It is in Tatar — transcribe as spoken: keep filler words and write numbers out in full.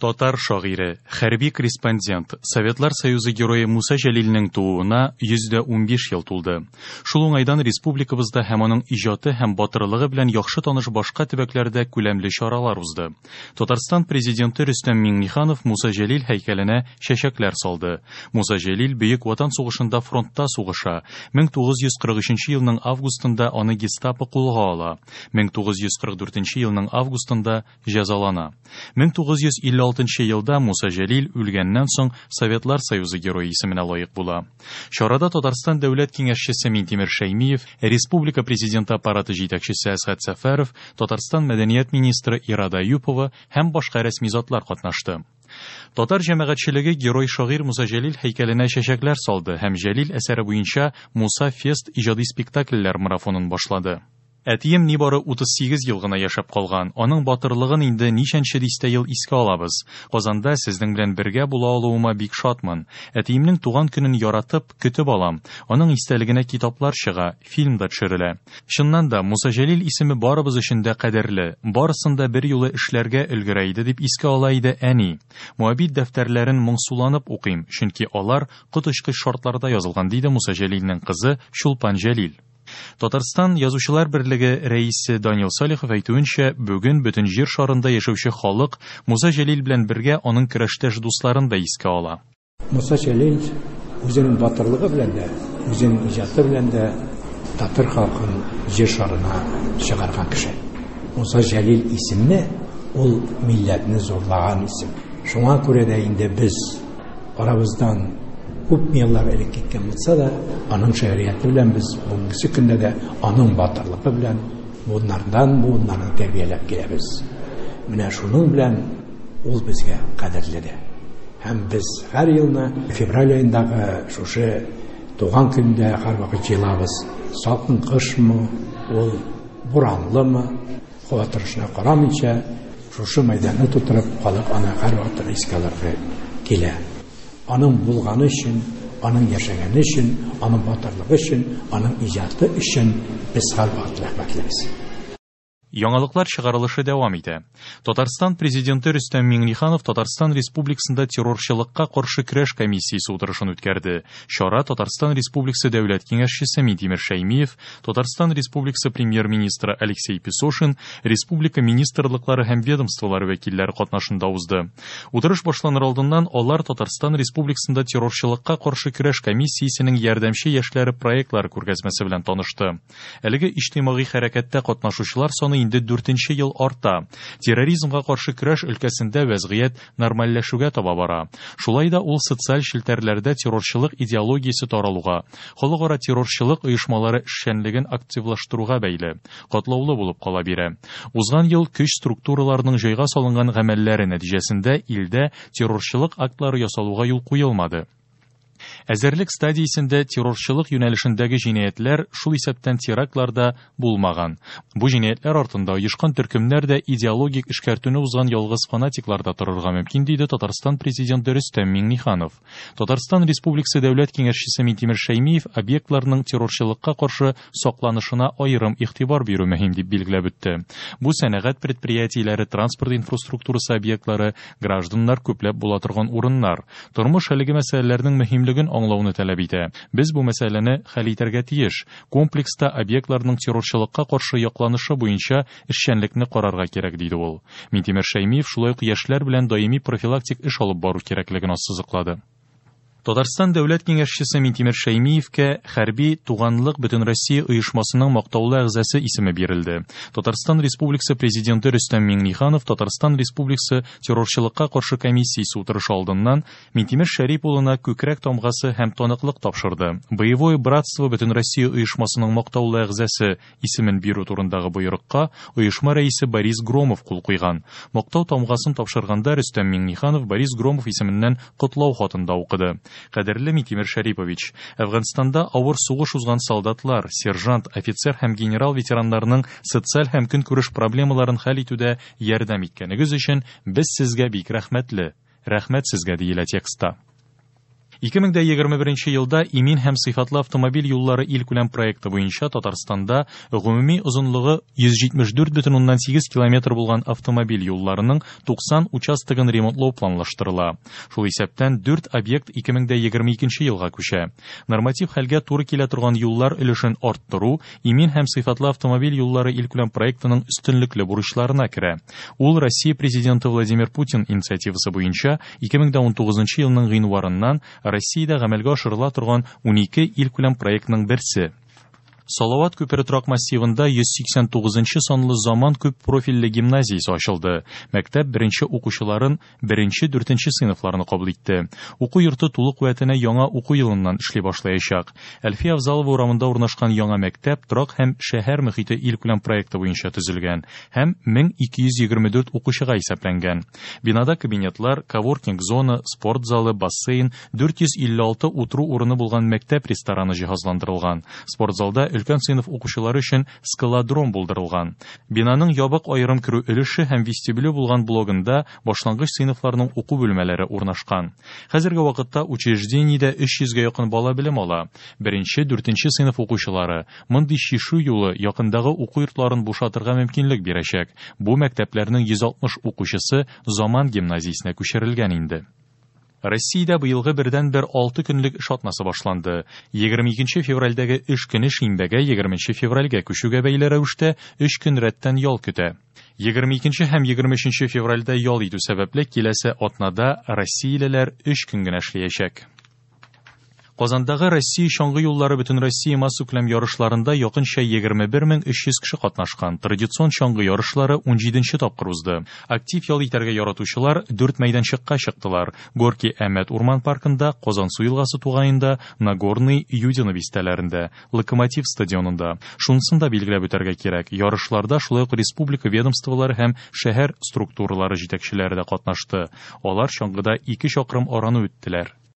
Татар шагыйре, хәрби корреспондент, Советлар Союзы герое Муса Җәлилнең тууына йөз дә унбиш ел тулды. Шул уңайдан республикабызда һәм аның иҗаты һәм батырлыгы белән яхшы таныш башка төбәкләрдә күләмле чаралар узды. Татарстан президенты Рөстәм Миңнеханов Муса Җәлил һәйкәленә чәчәкләр салды. Муса Җәлил Бөек Ватан сугышында фронтта сугыша. мең тугыз йөз кырык өченче елның августында аны гестапо кулга ала. мең тугыз йөз кырык дүртенче елның августында җәзалана. мең тугыз йөз илле алтынчы елда Муса Җәлил үлгәннән соң Советлар Союзы герое исеменә лаек була. Чарада Татарстан дәүләт киңәшчесе Минтимер Шәймиев, Республика президенты аппараты җитәкчесе Әсгать Сәфәров, Татарстан мәдәният министры Ирада Әюпова һәм башка рәсми затлар катнашты. Татар җәмәгатьчелеге герой шагыйрь Муса Җәлил һәйкәленә чәчәкләр салды һәм Җәлил әсәре буенча Муса Фест иҗади спектакльләр марафонын башлады. Әтием нибары утыз сигез ел гына яшәп калган. Аның батырлыгын инде ничәнче дистә ел искә алабыз. Казанда сезнең белән бергә була алуыма бик шатмын. Әтиемнең туган көнен яратып, көтеп алам. Аның истәлегенә китаплар чыга, фильм да төшерелә. Чыннан да Муса Җәлил исеме барыбыз өчен дә кадерле. Барысын да бер юлы эшләргә өлгерә иде дип искә ала иде әни. Моабит дәфтәрләрен моңсуланып укыйм, чөнки алар коточкыч шартларда язылган, диде Муса Җәлилнең кызы Чулпан Җәлил. Татарстан Язучылар берлеге рәисе Данил Салихов әйтүенчә, бүген бөтен җир шарында яшәүче халык Муса Җәлил белән бергә аның көрәштәш дусларын да искә ала. Муса Җәлил үзенең батырлыгы белән дә, үзенең иҗаты белән дә татар халкын җир шарына чыгарган кеше. Муса Җәлил исеме ул милләтне зурлаган исем. Шуңа күрә дә инде без арабыздан күп еллар элек киткән булса да, аның шигърияте белән без бүгенге көндә дә аның батырлыгы белән буыннардан буыннарны тәрбияләп киләбез. Менә шуның белән ул безгә кадерле дә. Һәм без һәр елны февраль аендагы шушы туган көндә һәрвакыт җыелабыз. Салкын кышмы, ул буранлымы, һава торышына карамыйча шушы мәйданны тутырып халык аны һәрвакыт искә алырга килә. Аның булганы өчен, аның яшәгәне өчен, аның батырлыгы өчен, аның иҗаты өчен без һәрвакыт рәхмәтлебез. Яңалыклар чыгарылышы дәвам итә. Татарстан президенты Рөстәм Миңнеханов Татарстан Республикасында террорчылыкка каршы көрәш комиссиясе утырышын үткәрде. Чара Татарстан Республикасы Дәүләт Киңәшчесе Минтимер Шәймиев, Татарстан Республикасы премьер-министры Алексей Песошин, республика министрлыклары һәм ведомстволары вәкилләре катнашында узды. Утырыш башланыр алдыннан алар Татарстан Республикасында террорчылыкка каршы көрәш комиссиясенең ярдәмче яшьләре проектлары күргәзмәсе белән танышты. Әлеге иҗтимагый хәрәкәттә катнашучылар саны инде дүртенче ел арта. Терроризмга каршы көрәш өлкәсендә вәзгыять нормальләшүгә таба бара. Шулай да ул социаль челтәрләрдә террорчылык идеологиясе таралуга, халыкара террорчылык оешмалары эшчәнлеген активлаштыруга бәйле, катлаулы булып кала бирә. Узган ел көч структураларының җайга салынган гамәлләре нәтиҗәсендә илдә террорчылык актлары ясалуга юл куелмады. Әзерлек стадиясендә террорчылык юнәлешендәге җинаятьләр, шул исәптән терактлар да булмаган. Бу җинаятьләр артында оешкан төркемнәр дә идеологик эшкәртүне узган ялгыз фанатиклар да торырга мөмкин, диде Татарстан президенты Рөстәм Миңнеханов. Татарстан Республикасы Дәүләт Киңәшчесе Минтимер Шәймиев объектларның террорчылыкка каршы сакланышына аерым игътибар бирү мөһим дип билгеләп үтте. Бу сәнәгать предприятиеләре, транспорт инфраструктурасы объектлары, гражданнар күпләп була торган урыннар. Тормыш әлеге мәсьәләләрнең мөһимлеген аңлауны таләп итә. Без бу мәсьәләне хәл итәргә тиеш. Комплекста объектларның террорчылыкка каршы якланышы буенча эшчәнлекне карарга кирәк, диде ул. Минтимер Шәймиев шулай ук яшьләр белән даими профилактик эш алып бару кирәклеген ассызыклады. Татарстан Дәүләт Киңәшчесе Минтимер Шәймиевкә Хәрби Туганлык Бөтенроссия оешмасының мактаулы әгъзасы исеме бирелде. Татарстан Республикасы президенты Рөстәм Миңнеханов Татарстан Республикасы террорчылыкка каршы комиссиясе утырышы алдыннан Минтимер Шәрип улына күкрәк тамгасы һәм таныклык тапшырды. Боевое братство Бөтенроссия оешмасының мактаулы әгъзасы исемен бирү турындагы боерыкка оешма рәисе Борис Громов кул куйган. Мактау тамгасын тапшырганда Рөстәм Миңнеханов Борис Громов исеменнән котлау хатын да укыды. Кадерле Минтимер Шәрипович, Әфганстанда авыр сугыш узган солдатлар, сержант, офицер һәм генерал ветераннарының социаль һәм көнкүреш проблемаларын хәл итүдә ярдәм иткәнегез өчен без сезгә бик рәхмәтле. Рәхмәт сезгә, диелә текстта. Ике мең дә егерме беренче елда Имин һәм сыйфатлы автомобиль юллары илкүләм проекты буенча Татарстанда гомуми озынлыгы йөз җитмеш дүрт бөтен уннан сигез километр булган автомобиль юлларының туксан участогын ремонтлау планлаштырыла. Шул исәптән дүрт объект ике мең дә егерме икенче елга күчә. Норматив хәлгә туры килә торган юллар өлешен арттыру Имин һәм сыйфатлы автомобиль юллары илкүләм проектының өстенлекле бурычларына керә. Ул Россия президенты Владимир Путин инициативасы буенча ике мең дә унтугызынчы елның гыйнварыннан Россиядә гамәлгә ашырыла торган унике илкүләм проектның берсе. Салават күпере торак массивында йөз сиксән тугызынчы санлы заман күп профильле гимназиясе ачылды. Мәктәп беренче укучыларын беренче дүртенче сыйныфларны кабул итте. Уку йорты тулы куәтенә яңа уку елыннан эшли башлаячак. Әлфия Авзалова урамында урнашкан яңа мәктәп торак һәм шәһәр мөхите илкүләм проекты буенча төзелгән һәм мең ике йөз егерме дүрт укучыга исәпләнгән. Бинада кабинетлар, коворкинг зона, спорт залы, бассейн, дүрт йөз илле алты утыру урыны булган мәктәп рестораны җиһазландырылган. Спорт залда өлкән сыйныф укучылары өчен скалодром булдырылган. Бинаның ябык аерым керү өлеше һәм вестибюле булган блогында башлангыч сыйныфларның уку бүлмәләре урнашкан. Хәзерге вакытта учреждениедә өч йөзгә якын бала белем ала. Беренче, дүртенче сыйныф укучылары мондый шишу юлы якындагы уку йортларын бушатырга мөмкинлек бирәчәк. Бу мәктәпләрнең йөз алтмыш укучысы Заман гимназиясенә күчерелгән инде. Россиядә быелгы бердән-бер алты көнлек эш атнасы башланды. Егерме икенче февральдәге эш көне шимбәгә егерменче февральгә күчүгә бәйле рәвештә өч көн рәттән ял көтә. Егерме икенче һәм егерме өченче февральдә ял итү сәбәпле киләсе атнада россиялеләр өч көн генә эшләячәк. Казандагы Россия чаңгы юллары бөтен Россия массакүләм ярышларында якынча егерме бер мең өч йөз кеше катнашкан. Традицион чаңгы ярышлары унҗиденче тапкыр узды. Актив ял итәргә яратучылар дүрт мәйданчыкка чыктылар. Горки Әмәт урман паркында, Казансу елгасы тугаенда, Нагорный, Юдино бистәләрендә, Локомотив стадионында. Шунысын да билгеләп үтәргә кирәк. Ярышларда шулай ук республика ведомстволары һәм шәһәр структуралары җитәкчеләре дә катнашты. Алар чаңгыда ике чакрым араны үттеләр.